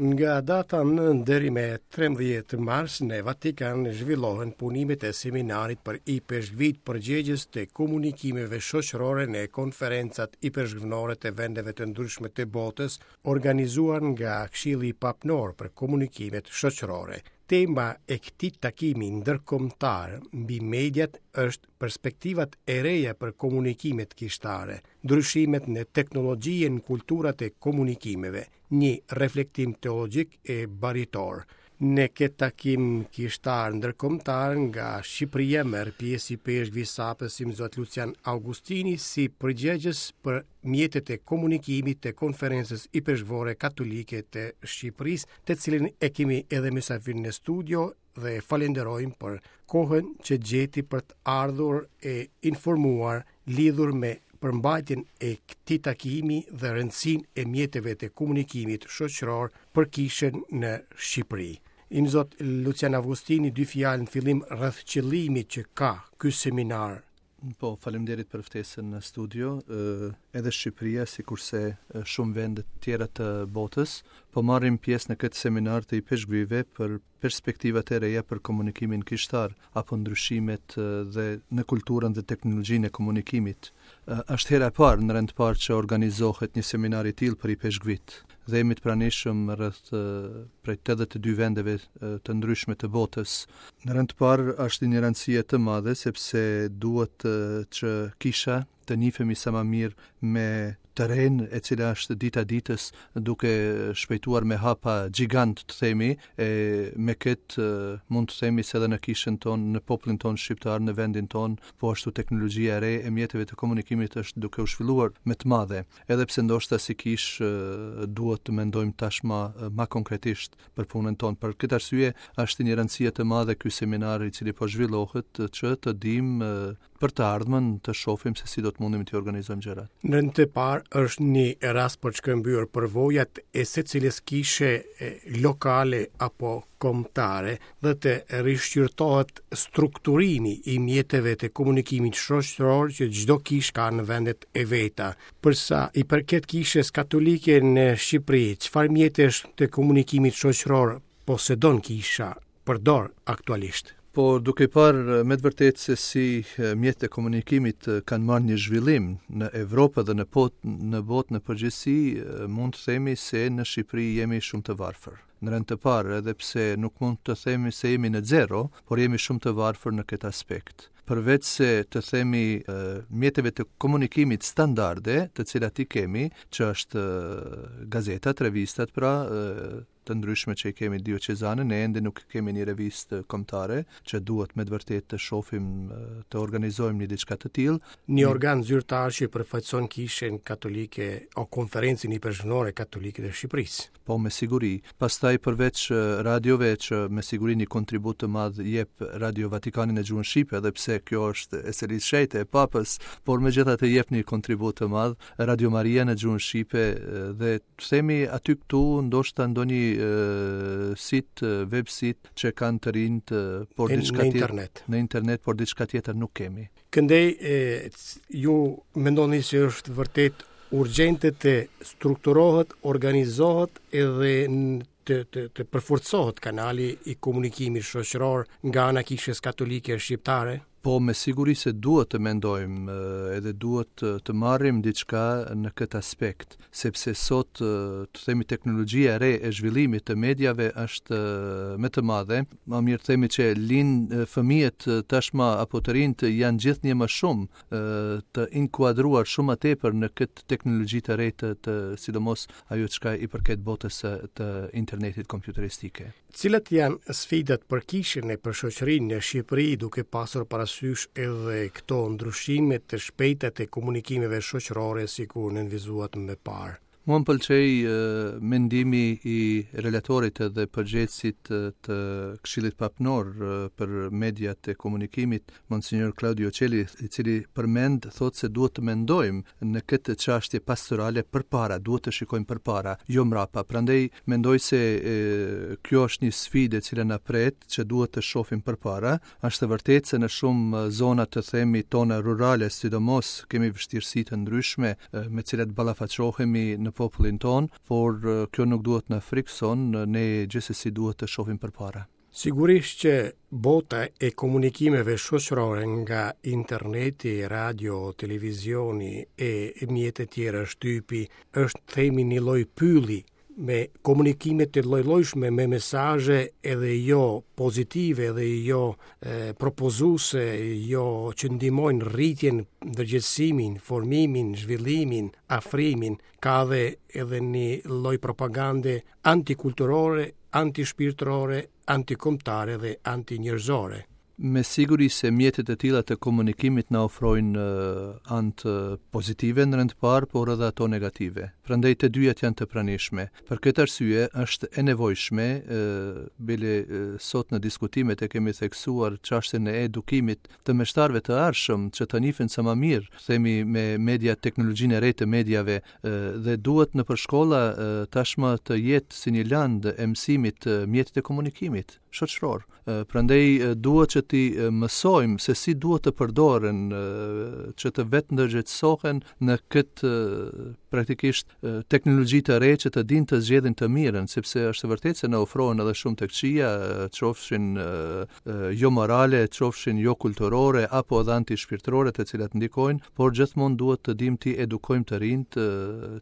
Nga data 9 deri me 13 mars në Vatikan zhvillohen punimet e seminarit për ipeshkvijtë përgjegjës të komunikimeve shoqërore në konferencat ipeshkvnore të vendeve të ndryshme të botës, organizuar nga Këshilli Papnor për Komunikimet Shoqërore. Tema e këtij takimi ndërkombëtar mbi mediat është perspektivat e reja për komunikimet kishtare, ndryshimet në teknologji e në kulturat e komunikimeve, një reflektim teologjik e baritor. Në këtë takim kishtar ndërkombëtar nga Shqipëria merr pjesë ipeshkvi i Sapës Imzot Lucian Augustini si përgjegjës për mjetet e komunikimit të Konferencës Ipeshkvore Katolike të Shqipërisë, të cilin e kemi edhe mysafir në studio dhe e falenderojmë për kohën që gjeti për të ardhur e informuar lidhur me përmbajtjen e këtij takimi dhe rëndësinë e mjeteve të komunikimit shoqëror për kishën në Shqipëri. Imzot Lucian Augustini, dy fjalë në fillim rreth qëllimit që ka ky seminar. Po, faleminderit për ftesën në studio. Edhe Shqipëria, sikurse shumë vende të tjera të botës, po marrim pjesë në këtë seminar të ipeshkvijve për perspektivat e reja për komunikimin kishtar apo ndryshimet dhe në kulturën dhe teknologjinë e komunikimit. Është hera e parë në rend të parë që organizohet një seminar i tillë për ipeshkvijtë dhe jemi të pranishëm rreth prej 82 vendeve të ndryshme të botës. Në rend të parë është i një rëndësie të madhe sepse duhet që kisha të njihemi sa më mirë me të renë e cila është dita ditës duke shpejtuar me hapa gjigant të themi e me këtë mund të themi se edhe në kishën tonë, në popullin tonë shqiptar, në vendin tonë, po ashtu teknologjia e re e mjeteve të komunikimit është duke u zhvilluar me të madhe. Edhe pse ndoshta si kishë duhet të mendojmë tashmë ma konkretisht për punën tonë. Për këtë arsye është i një rëndësie të madhe ky seminar i cili po zhvillohet që të dimë për të ardhmen të shohim se si do të mundemi të organizojmë gjërat. Në rend të parë është një rast për të shkëmbyer përvojat e secilës kishe lokale apo kombëtare dhe të rishqyrtohet strukturimi i mjeteve të komunikimit shoqëror që çdo kishë ka në vendet e veta. Për sa i përket kishës katolike në Shqipëri, çfarë mjetesh të komunikimit shoqëror posedon kisha përdor aktualisht? Po duke parë me të vërtetë se si mjetet e komunikimit kanë marrë një zhvillim në Evropë dhe në pot, në botë në përgjithësi, mund të themi se në Shqipëri jemi shumë të varfër. Në rend të parë, edhe pse nuk mund të themi se jemi në zero, por jemi shumë të varfër në këtë aspekt. Përveç se të themi mjeteve të komunikimit standarde, të cilat i kemi, që është gazetat, revistat, pra, të ndryshme që i kemi dioqezane, ne ende nuk kemi një revistë kombëtare që duhet me të vërtetë të shohim të organizojmë një diçka të tillë. Një organ zyrtar që përfaqëson Kishën Katolike o Konferencën Ipeshkvnore Katolike të Shqipërisë. Po me siguri. Pastaj përveç radiove që me siguri një kontribut të madh jep Radio Vatikani në gjuhën shqipe, edhe pse kjo është e Selisë Shenjtë e Papës, por megjithatë jep një kontribut të madh Radio Maria në gjuhën shqipe dhe të themi aty këtu ndoshta ndonjë sit, web sit që kanë të rinjtë, por diçka tjetër në internet. Në internet, por diçka tjetër nuk kemi. Këndej e, ju mendoni se është vërtet urgjente të strukturohet, organizohet edhe të, të, të përforcohet kanali i komunikimit shoqëror nga ana e Kishës Katolike Shqiptare? Po me siguri se duhet të mendojmë edhe duhet të marrim diçka në këtë aspekt, sepse sot të themi teknologjia e re e zhvillimit të mediave është me të madhe, ma mirë të themi që lind fëmijët tashmë apo të rinjtë janë gjithnjë më shumë të inkuadruar shumë më tepër në këtë teknologji të re të, të sidomos ajo çka i përket botës së të internetit kompjuteristike. Cilat janë sfidat për kishën e për shoqërinë në Shqipëri duke pasur parasysh edhe këto ndryshime të shpejta të komunikimeve shoqërore sikur nënvizuat më parë? Mua më pëlqej mendimi i relatorit edhe përgjegjësit të Këshillit Papnor për mediat e komunikimit, Monsignor Claudio Celli, i cili përmend thotë se duhet të mendojmë në këtë çështje pastorale përpara, duhet të shikojmë përpara, jo mbrapa. Prandaj mendoj se e, kjo është një sfidë e cila na pret që duhet të shohim përpara. Është e vërtetë se në shumë zona të themi tona rurale, sidomos kemi vështirësi të ndryshme me të cilat ballafaqohemi në popullin tonë, por kjo nuk duhet na frikëson, ne gjithsesi duhet të shohim përpara. Sigurisht që bota e komunikimeve shoqërore nga interneti, radio, televizioni e mjete tjera shtypi është themi një lloj pylli me komunikime të llojllojshme me mesazhe edhe jo pozitive edhe jo e, propozuese, jo që ndihmojnë rritjen, ndërgjegjësimin, formimin, zhvillimin, afrimin, ka dhe edhe një lloj propagande antikulturore, antishpirtërore, antikombëtare dhe antinjerëzore. Me siguri se mjetet e tilla të komunikimit na ofrojnë anë pozitive në rend të parë, por edhe ato negative. Prandaj të dyjat janë të pranishme. Për këtë arsye është e nevojshme, bile sot në diskutimet e kemi theksuar çështjen e edukimit të meshtarëve të ardhshëm që të njihen sa më mirë, themi me media teknologjinë e re të mediave dhe duhet nëpër shkolla tashmë të jetë si një lëndë e mësimit mjetet e komunikimit shoqëror. Prandaj duhet që t'i mësojmë se si duhet të përdoren që të vetëndërgjegjësohen në këtë praktikisht teknologji të re që të dinë të zgjedhin të mirën, sepse është e vërtetë se na ofrohen edhe shumë të këqija, qofshin jo morale, qofshin jo kulturore apo edhe antishpirtërore të cilat ndikojnë, por gjithmonë duhet të dimë t'i edukojmë të rinjtë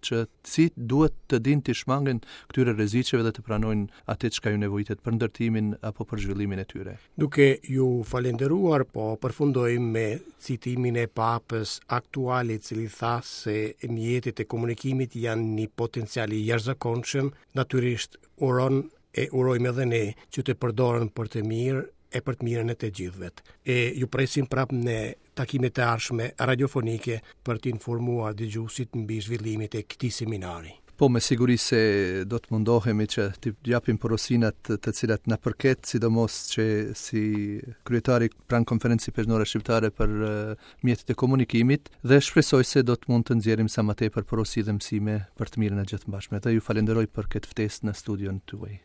që si duhet të dinë t'i shmangen këtyre rreziqeve dhe të pranojnë atë çka ju nevojitet për ndërtimin apo për zhvillimin e tyre. Duke ju falënderuar, po përfundojmë me citimin e Papës aktual i cili tha se mjetet e komunikimit janë një potencial i jashtëzakonshëm, natyrisht uron e urojmë edhe ne që të përdoren për të mirë e për të mirën e të gjithëve. E ju presim prapë në takimet e ardhshme radiofonike për të informuar dëgjuesit mbi zhvillimet e këtij seminari. Po, me siguri se do të mundohemi që t'i japim porosinat të cilat na përket, sidomos që si kryetari pranë Konferencës Ipeshkvnore Shqiptare për mjetet e komunikimit dhe shpresoj se do të mund të nxjerrim sa më tepër porosi dhe mësime për të mirën e gjithmbarshme. Dhe ju falenderoj për këtë ftesë në studion tuaj.